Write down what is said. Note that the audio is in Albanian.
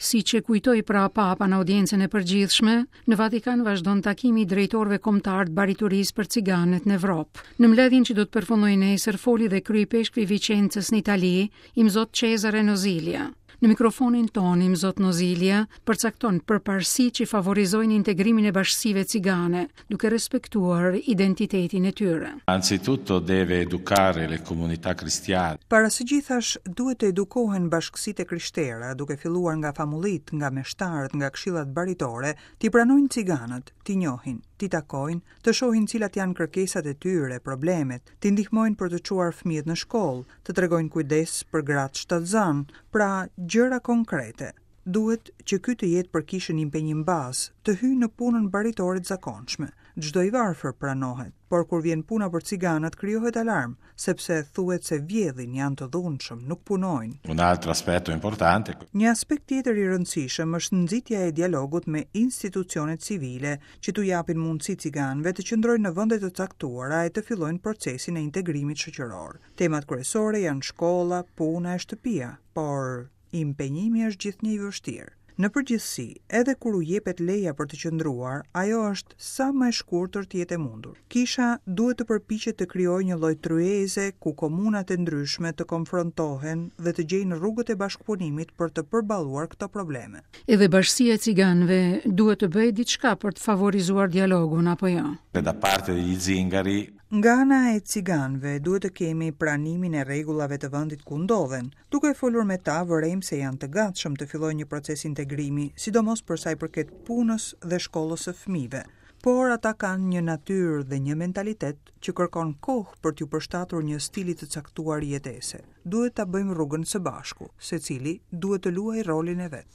Siç e kujtoi pra Papa në audiencën e përgjithshme, në Vatikan vazhdon takimi i drejtorëve kombëtarë të baritorisë për ciganët në Evropë. Në mbledhjen që do të përfundojë nesër foli dhe kryeipeshkvi i Viçencës në Itali, Imzot Cesare Nozilia. Në mikrofonin tonë, Imzot Nozilia përcakton përparësitë që favorizojnë integrimin e bashkësive cigane, duke respektuar identitetin e tyre. Anzitutto deve educare le comunità cristiane. Para së gjithash, duhet të edukohen bashkësitë e krishtera, duke filluar nga famullitë, nga meshtarët, nga këshillat baritore, t'i pranojnë ciganët, t'i njohin, t'i takojnë, të shohin cilat janë kërkesat e tyre, problemet, t'i ndihmojnë për të çuar fëmijët në shkollë, të tregojnë kujdes për gratë shtatzënë, pra gjëra konkrete. Duhet që ky të jetë për kishën impenjim bazë, të hyjë në punën baritore të zakonshme. Çdo i varfër pranohet, por kur vjen puna për ciganët krijohet alarm, sepse thuhet se vjedhin, janë të dhunshëm, nuk punojnë. Un altro aspetto importante. Një aspekt tjetër i rëndësishëm është nxitja e dialogut me institucionet civile, që t'u japin mundësi ciganëve të qëndrojnë në vende të caktuara e të fillojnë procesin e integrimit shoqëror. Temat kryesore janë shkolla, puna e shtëpia, por impenjimi është gjithnjë i vështirë. Në përgjithësi, edhe kur u jepet leja për të qëndruar, ajo është sa më e shkurtër të jetë e mundur. Kisha duhet të përpiqet të krijojë një lloj tryeze ku komunat e ndryshme të konfrontohen dhe të gjejnë rrugët e bashkëpunimit për të përballuar këto probleme. Edhe bashkësia e ciganëve duhet të bëjë diçka për të favorizuar dialogun, apo jo? Da parte degli zingari. Nga ana e ciganëve duhet të kemi pranimin e rregullave të vendit ku ndodhen. Duke folur me ta, vërejmë se janë të gatshëm të fillojnë një proces integrimi, sidomos për sa i përket punës dhe shkollës së fëmijëve. Por ata kanë një natyrë dhe një mentalitet që kërkon kohë për t'iu përshtatur një stili të caktuar jetese. Duhet ta bëjmë rrugën së bashku, secili duhet të luajë rolin e vet.